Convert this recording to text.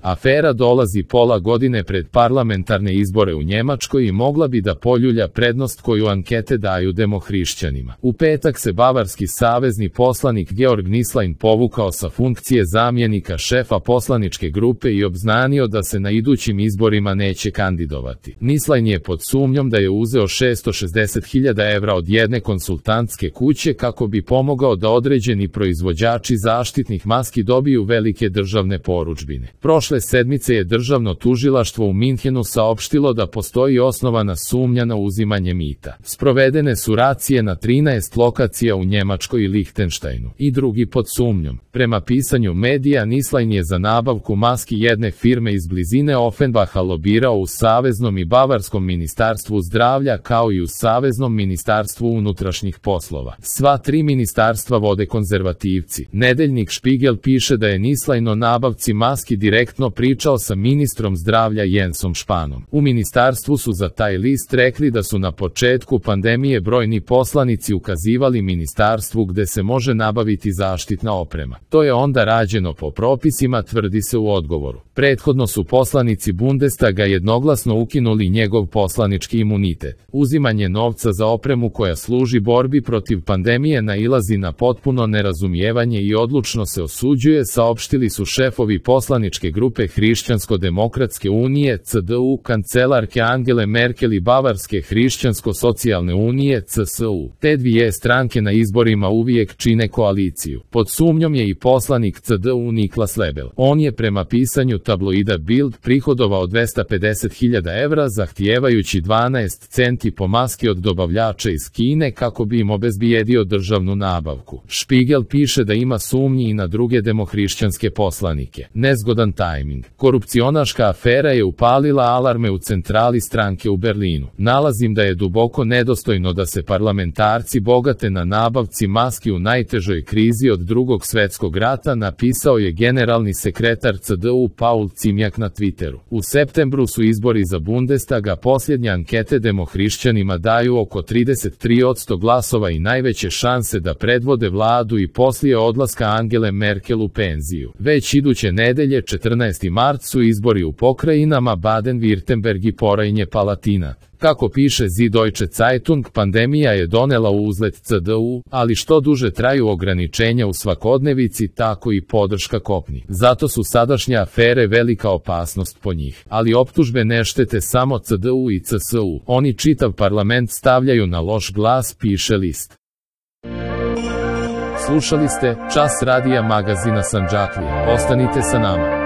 Afera dolazi pola godine pred parlamentarne izbore u Njemačkoj i mogla bi da poljulja prednost koju ankete daju demohrišćanima. U petak se bavarski savezni poslanik Georg Nislein povukao sa funkcije zamjenika šefa poslaničke grupe i obznanio da se na idućim izborima neće kandidovati. Nislein je pod sumnjom da je uzeo 660.000 evra od jedne konsultantske kuće kako bi pomogao da određeni proizvođači zaštitnih maski dobiju velike državne porudžbine. Prošle sedmice je državno tužilaštvo u Minhenu saopštilo da postoji osnovana sumnja na uzimanje mita. Sprovedene su racije na 13 lokacija u Njemačkoj i Lihtenštajnu. I drugi pod sumnjom. Prema pisanju medija, Nislein je za nabavku maski jedne firme iz blizine Offenbacha lobirao u Saveznom i Bavarskom ministarstvu zdravlja kao i u Saveznom ministarstvu unutrašnjih poslova. Sva tri ministarstva vode konzervativci. Nedeljnik Špigel piše da je Nislein o nabavci maski direktno pričao sa ministrom zdravlja Jensom Španom. U ministarstvu su za taj list rekli da su na početku pandemije brojni poslanici ukazivali ministarstvu gde se može nabaviti zaštitna oprema. To je onda rađeno po propisima, tvrdi se u odgovoru. Prethodno su poslanici Bundestaga jednoglasno ukinuli njegov poslanički imunitet. Uzimanje novca za opremu koja služi borbi protiv pandemije nailazi na potpuno nerazumijevanje i odlučno se osuđuje, saopštili su šefovi poslaničke grupe Hrišćansko-demokratske unije CDU, kancelarke Angele Merkel i Bavarske hrišćansko-socijalne unije CSU. Te dvije stranke na izborima uvijek čine koaliciju. Pod sumnjom je i poslanik CDU Niklas Lebel. On je prema pisanju tabloida Bild prihodovao 250.000 evra zahtijevajući 12 centi po maski od dobavljača iz Kine kako bi im obezbijedio državnu nabavku. Špigel piše da ima sumnji i na druge demohrišćanske poslanike. Nezgodan tajming. Korupcionaška afera je upalila alarme u centrali stranke u Berlinu. Nalazim da je duboko nedostojno da se parlamentarci bogate na nabavci maski u najtežoj krizi od Drugog svetskog rata, napisao je generalni sekretar CDU Paul Cimjak na Twitteru. U septembru su izbori za Bundestaga, posljednje ankete demohrišćanima daju oko 33% glasova i najveće šanse da predvode vladu i poslije odlaska Angele Merkel u penziju. Već iduće nedelje, 14. mart, su izbori u pokrajinama Baden-Württemberg i Porajnje-Palatinat. Kako piše Süddeutsche Zeitung, pandemija je donela uzlet CDU, ali što duže traju ograničenja u svakodnevici, tako i podrška kopni. Zato su sadašnje afere velika opasnost po njih. Ali optužbe ne štete samo CDU i CSU. Oni čitav parlament stavljaju na loš glas, piše list. Slušali ste Čas radija magazina Sandžaklije. Ostanite sa nama.